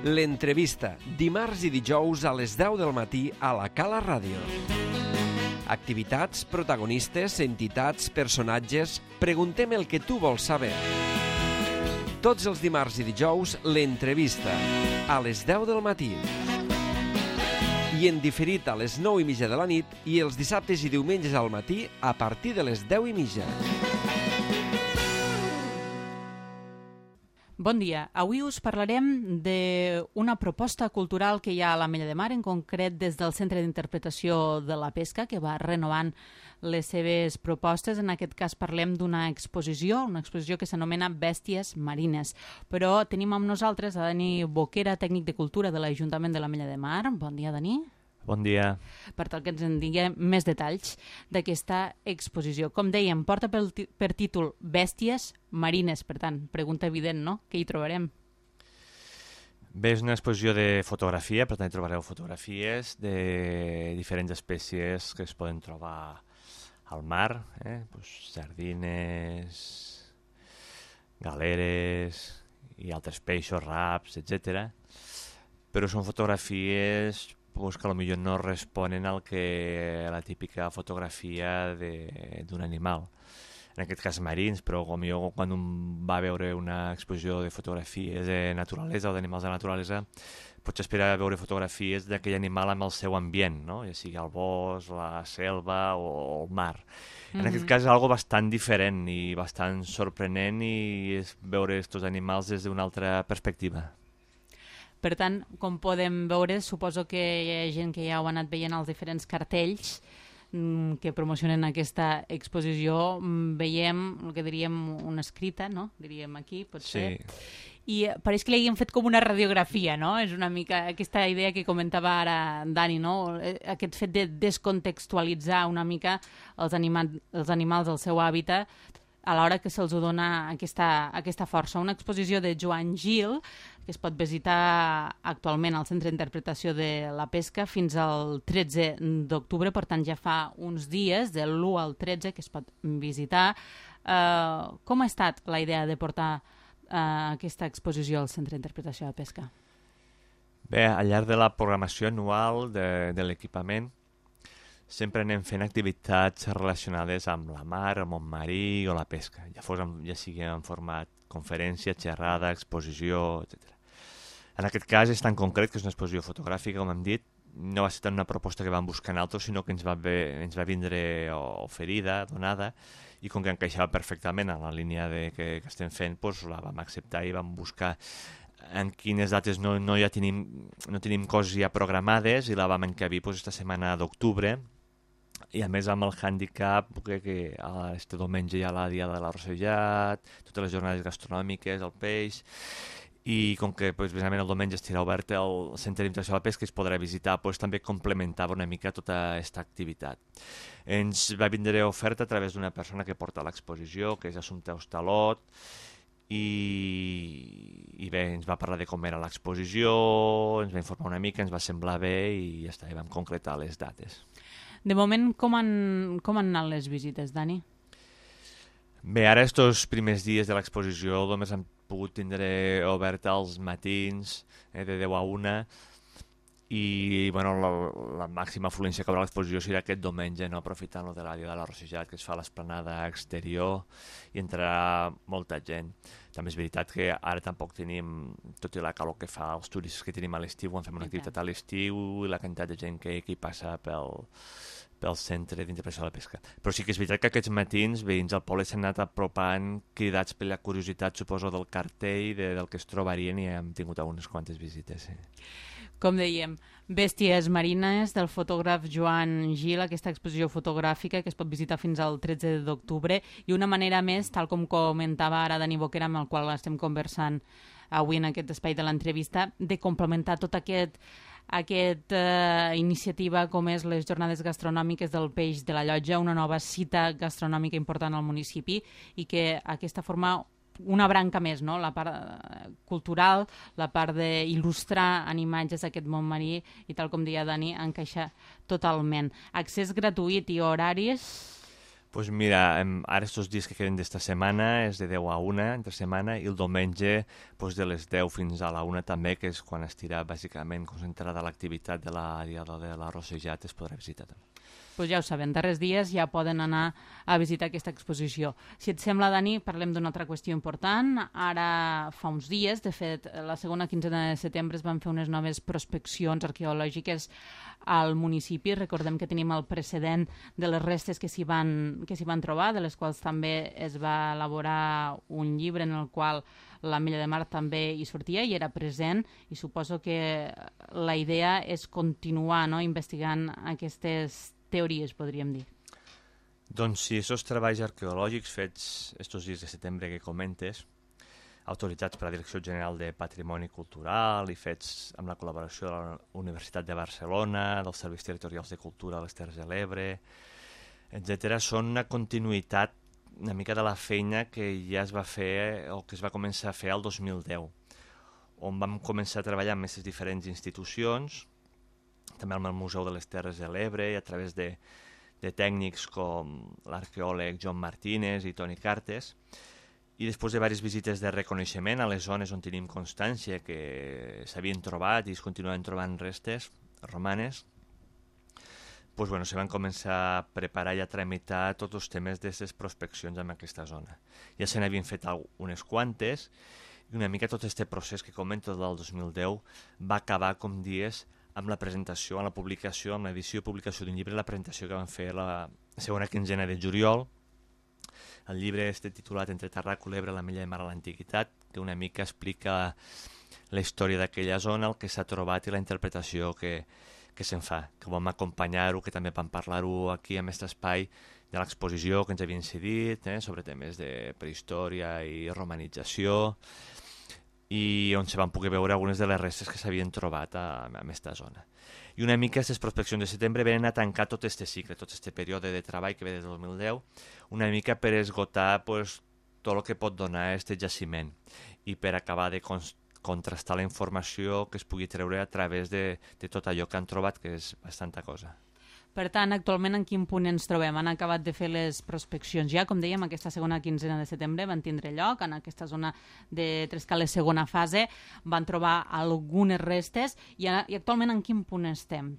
L'entrevista, dimarts i dijous a les 10 del matí a la Cala Ràdio. Activitats, protagonistes, entitats, personatges... Preguntem el que tu vols saber. Tots els dimarts i dijous, l'entrevista, a les 10 del matí. I en diferit a les 9:30 de la nit i els dissabtes i diumenges al matí a partir de les 10:30. Bon dia. Avui us parlarem d'una proposta cultural que hi ha a l'Ametlla de Mar, en concret des del Centre d'Interpretació de la Pesca, que va renovant les seves propostes. En aquest cas parlem d'una exposició que s'anomena Bèsties Marines. Però tenim amb nosaltres a Dani Boquera, tècnic de cultura de l'Ajuntament de l'Ametlla de Mar. Bon dia, Dani. Bon dia. Per tal que ens en digui més detalls d'aquesta exposició. Com dèiem, porta per títol Bèsties Marines, per tant, pregunta evident, no? Què hi trobarem? Bé, és una exposició de fotografia, per tant hi trobareu fotografies de diferents espècies que es poden trobar al mar, sardines, galeres i altres peixos, raps, etc. Però són fotografies que potser no responen al que la típica fotografia d'un animal. En aquest cas marins, però potser quan un va a veure una exposició de fotografies de naturalesa o d'animals de naturalesa, potser espera veure fotografies d'aquell animal amb el seu ambient, no? Ja sigui el bosc, la selva o el mar. En aquest cas és algo bastant diferent i bastant sorprenent i és veure aquests animals des d'una altra perspectiva. Per tant, com podem veure, suposo que hi ha gent que ja ho ha anat veient als diferents cartells que promocionen aquesta exposició. Veiem el que diríem una escrita, no? Diríem aquí, potser. Sí. I pareix que li haguem fet com una radiografia, no? És una mica aquesta idea que comentava ara Dani, no? Aquest fet de descontextualitzar una mica els animals del seu hàbitat a l'hora que se'ls dona aquesta força. Una exposició de Joan Gil, que es pot visitar actualment al Centre d'Interpretació de la Pesca fins al 13 d'octubre, per tant ja fa uns dies, de l'1 al 13, que es pot visitar. Com ha estat la idea de portar aquesta exposició al Centre d'Interpretació de la Pesca? Bé, al llarg de la programació anual de l'equipament sempre anem fent activitats relacionades amb la mar, el món marí o la pesca, ja sigui en format conferència, xerrada, exposició, etc. En aquest cas és tan concret que és una exposició fotogràfica, com hem dit, no va ser tant una proposta que vam buscar en altres, sinó que ens va vindre oferida, donada, i com que encaixava perfectament en la línia que estem fent, doncs la vam acceptar i vam buscar en quines dates no tenim coses ja programades i la vam encabir aquesta setmana d'octubre. I a més amb el hàndicap que este diumenge hi ha la Diada de l'Arrossejat, totes les jornades gastronòmiques, el peix, i com que precisament el diumenge estirà obert el Centre d'Interpretació de la Pesca, es podrà visitar, també complementava una mica tota aquesta activitat. Ens va vindre oferta a través d'una persona que porta l'exposició, que és Assumpta Hostalot, i bé, ens va parlar de com era l'exposició, ens va informar una mica, ens va semblar bé i ja està, i vam concretar les dates. De moment, com han anat les visites, Dani? Bé, ara estos primers dies de l'exposició només han pogut tindre oberta als matins de 10 a 1 i la màxima afluència que haurà l'exposició serà aquest diumenge, aprofitant de la Diada de l'Arrossejat, que es fa a l'esplanada exterior i entrarà molta gent. També és veritat que ara tampoc tenim, tot i la calor que fa, els turistes que tenim a l'estiu, quan fem una activitat a l'estiu i la quantitat de gent que hi passa pel Centre d'Interpretació de la Pesca. Però sí que és veritat que aquests matins veïns al poble s'han anat apropant, cridats per la curiositat, suposo, del cartell, del que es trobarien, i hem tingut unes quantes visites. Sí. Com dèiem, Bèsties Marines, del fotògraf Joan Gil, aquesta exposició fotogràfica que es pot visitar fins al 13 d'octubre, i una manera més, tal com comentava ara Dani Boquera, amb el qual estem conversant avui en aquest espai de l'entrevista, de complementar tot aquesta iniciativa com és les jornades gastronòmiques del Peix de la Llotja, una nova cita gastronòmica important al municipi, i que aquesta forma una branca més, no? La part cultural, la part d'il·lustrar en imatges aquest món marí, i tal com deia Dani, encaixa totalment. Accés gratuït i horaris? Pues mira, ara estos dies que queden d'esta setmana és de 10 a 1 entre setmana i el diumenge pues, de les 10 fins a la 1 també, que és quan estirà bàsicament concentrada l'activitat de la Diada de la Rossejat, es podrà visitar també. Pues ja ho saben, darrers dies ja poden anar a visitar aquesta exposició. Si et sembla, Dani, parlem d'una altra qüestió important. Ara fa uns dies, de fet, la segona quinzena de setembre es van fer unes noves prospeccions arqueològiques al municipi. Recordem que tenim el precedent de les restes que s'hi van trobar, de les quals també es va elaborar un llibre en el qual l'Ametlla de Mar també hi sortia i era present, i suposo que la idea és continuar, no?, investigant aquestes teories, podríem dir. Doncs sí, aquests treballs arqueològics fets estos dies de setembre que comentes, autoritzats per la Direcció General de Patrimoni Cultural i fets amb la col·laboració de la Universitat de Barcelona, dels Serveis Territorials de Cultura de les Terres de l'Ebre, etc., són una continuïtat una mica de la feina que ja es va fer o que es va començar a fer el 2010, on vam començar a treballar amb aquestes diferents institucions, també amb el Museu de les Terres de l'Ebre i a través de tècnics com l'arqueòleg Joan Martínez i Toni Cartes, i després de diverses visites de reconeixement a les zones on tenim constància que s'havien trobat i es continuen trobant restes romanes, pues, bueno, se van començar a preparar i a tramitar tots els temes d'aquestes prospeccions en aquesta zona. Ja se n'havien fet unes quantes i una mica tot aquest procés que comento del 2010 va acabar, com dies, amb la presentació, amb la publicació, amb l'edició i publicació d'un llibre, la presentació que van fer la segona quinzena de juliol. El llibre està titulat Entre Tarraco, l'Ebre, l'Ametlla de Mar a l'Antiguitat, que una mica explica la història d'aquella zona, el que s'ha trobat i la interpretació que se'n fa. Que vam acompanyar-ho, que també vam parlar-ho aquí en aquest espai de l'exposició que ens havien cedit, sobre temes de prehistòria i romanització, i on se van poder veure algunes de les restes que s'havien trobat en aquesta zona. I una mica aquestes prospeccions de setembre venen a tancar tot aquest cicle, tot aquest període de treball que ve des del 2010, una mica per esgotar pues, tot el que pot donar aquest jaciment i per acabar de contrastar la informació que es pugui treure a través de tot allò que han trobat, que és bastanta cosa. Per tant, actualment en quin punt ens trobem? Han acabat de fer les prospeccions ja, com dèiem, aquesta segona quinzena de setembre van tindre lloc, en aquesta zona de Trescales segona fase, van trobar algunes restes i actualment en quin punt estem?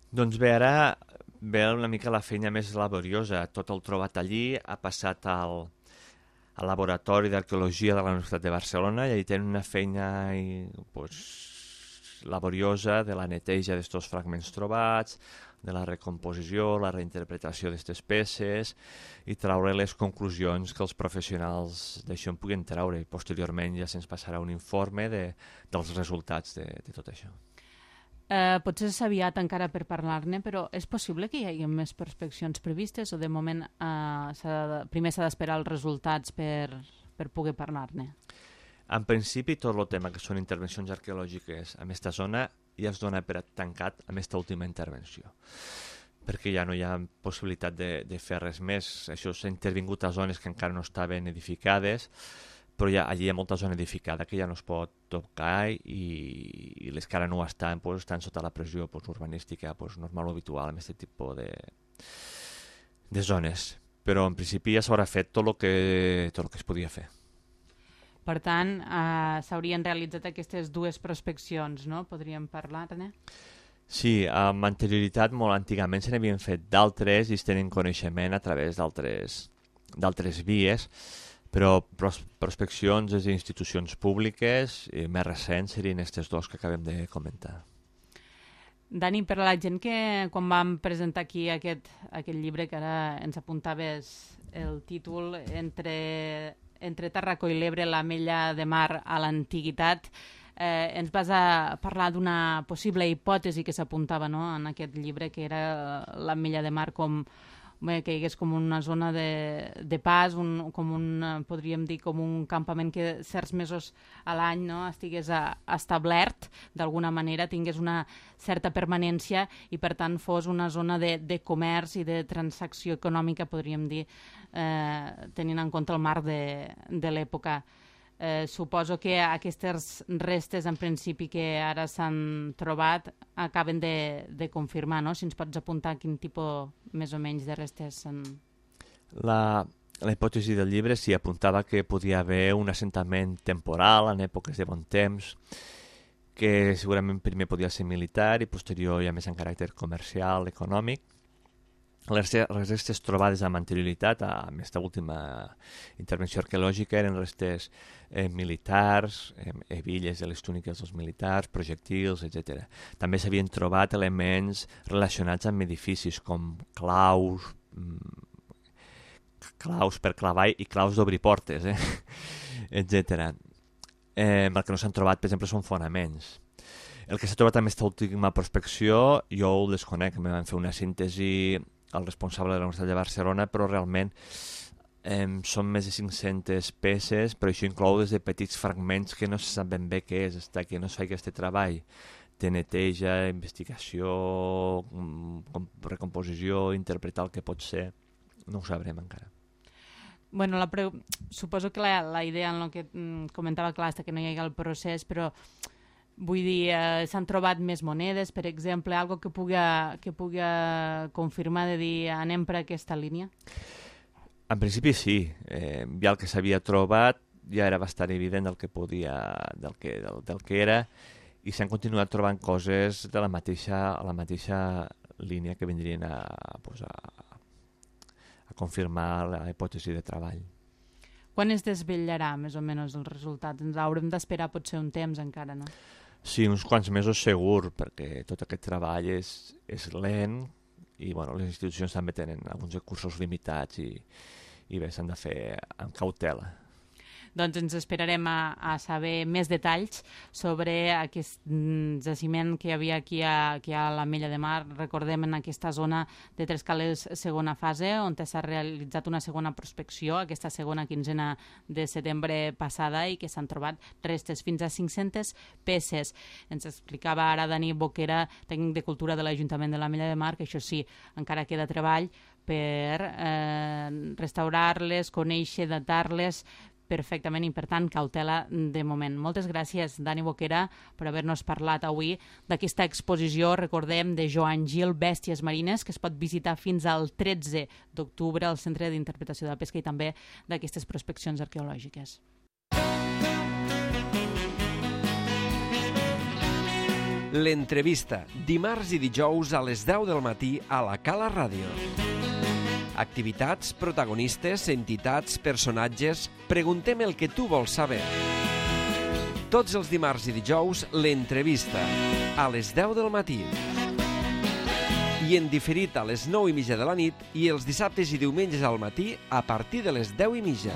Doncs bé, ara ve una mica la feina més laboriosa. Tot el trobat allí ha passat al Laboratori d'Arqueologia de la Universitat de Barcelona i allà tenen una feina laboriosa de la neteja d'estos fragments trobats, de la recomposició, la reinterpretació d'aquestes peces i traure les conclusions que els professionals d'això en puguen treure i posteriorment ja se'ns passarà un informe dels resultats de tot això. Potser és aviat encara per parlar-ne, però és possible que hi hagi més prospeccions previstes o de moment primer s'ha d'esperar els resultats per poder parlar-ne? En principi, tot el tema que són intervencions arqueològiques en aquesta zona ja es dona per tancat amb aquesta última intervenció, perquè ja no hi ha possibilitat de fer res més. Això s'ha intervingut a zones que encara no estaven edificades, però allí hi ha molta zona edificada que ja no es pot tocar i les que ara no estan sota la pressió urbanística normal o habitual en aquest tipus de zones. Però en principi ja s'haurà fet tot el que es podia fer. Per tant, s'haurien realitzat aquestes dues prospeccions, no? Podríem parlar-ne? Sí, amb anterioritat, molt antigament se n'havien fet d'altres i es tenen coneixement a través d'altres vies, però prospeccions des d'institucions públiques i més recents serien aquests dos que acabem de comentar. Dani, per a la gent que quan vam presentar aquí aquest llibre, que ara ens apuntaves el títol Entre Tarraco i l'Ebre, l'Ametlla de Mar a l'Antiguitat, ens vas a parlar d'una possible hipòtesi que s'apuntava, no?, en aquest llibre, que era l'Ametlla de Mar que hi hagués com una zona de pas, podríem dir com un campament que certs mesos a l'any, no?, estigués establert d'alguna manera, tingués una certa permanència i per tant fos una zona de comerç i de transacció econòmica, podríem dir, tenint en compte el marc de l'època. Suposo que aquestes restes en principi que ara s'han trobat acaben de confirmar, no? Si ens pots apuntar quin tipus més o menys de restes són. La hipòtesi del llibre s'hi apuntava que podia haver un assentament temporal en èpoques de bon temps, que segurament primer podia ser militar i posterior ja més en caràcter comercial, econòmic. Les restes trobades amb anterioritat a aquesta última intervenció arqueològica eren restes militars, hebilles de les túniques dels militars, projectils, etc. També s'havien trobat elements relacionats amb edificis com claus per clavar i claus d'obrir portes, etc. El que no s'han trobat, per exemple, són fonaments. El que s'ha trobat amb aquesta última prospecció jo ho desconec, me van fer una síntesi al responsable de la Universitat de Barcelona, però realment són més de 500 peces, però això inclou des de petits fragments que no se sap ben bé què és, està que no es fa aquest treball de neteja, investigació, recomposició, interpretar el que pot ser, no ho sabrem encara. Bueno, suposo que la idea en el que comentava clar és que no hi hagi el procés, però vull dir, s'han trobat més monedes, per exemple, algo que pugui confirmar de dir anem per aquesta línia? En principi sí, ja el que s'havia trobat ja era bastant evident del que era, i s'han continuat trobant coses de la mateixa línia que vindrien a confirmar la hipòtesi de treball. Quan es desvetllarà més o menys el resultat? Ens haurem d'esperar potser un temps encara, no? Sí, uns quants mesos segur, perquè tot aquest treball és lent i bueno, les institucions també tenen alguns recursos limitats i bé, s'han de fer amb cautela. Doncs ens esperarem a saber més detalls sobre aquest jaciment que hi havia aquí a l'Ametlla de Mar. Recordem en aquesta zona de Tres Cales segona fase, on s'ha realitzat una segona prospecció, aquesta segona quinzena de setembre passada, i que s'han trobat restes fins a 500 peces. Ens explicava ara Dani Boquera, tècnic de cultura de l'Ajuntament de l'Ametlla de Mar, que això sí, encara queda treball per restaurar-les, conèixer, datar-les perfectament i, per tant, cautela de moment. Moltes gràcies, Dani Boquera, per haver-nos parlat avui d'aquesta exposició, recordem, de Joan Gil, Bèsties marines, que es pot visitar fins al 13 d'octubre al Centre d'Interpretació de la Pesca i també d'aquestes prospeccions arqueològiques. L'entrevista, dimarts i dijous a les 10 del matí a la Cala Ràdio. Activitats, protagonistes, entitats, personatges... Preguntem el que tu vols saber. Tots els dimarts i dijous, l'entrevista, a les 10 del matí. I en diferit a les 9:30 de la nit i els dissabtes i diumenges al matí a partir de les 10:30.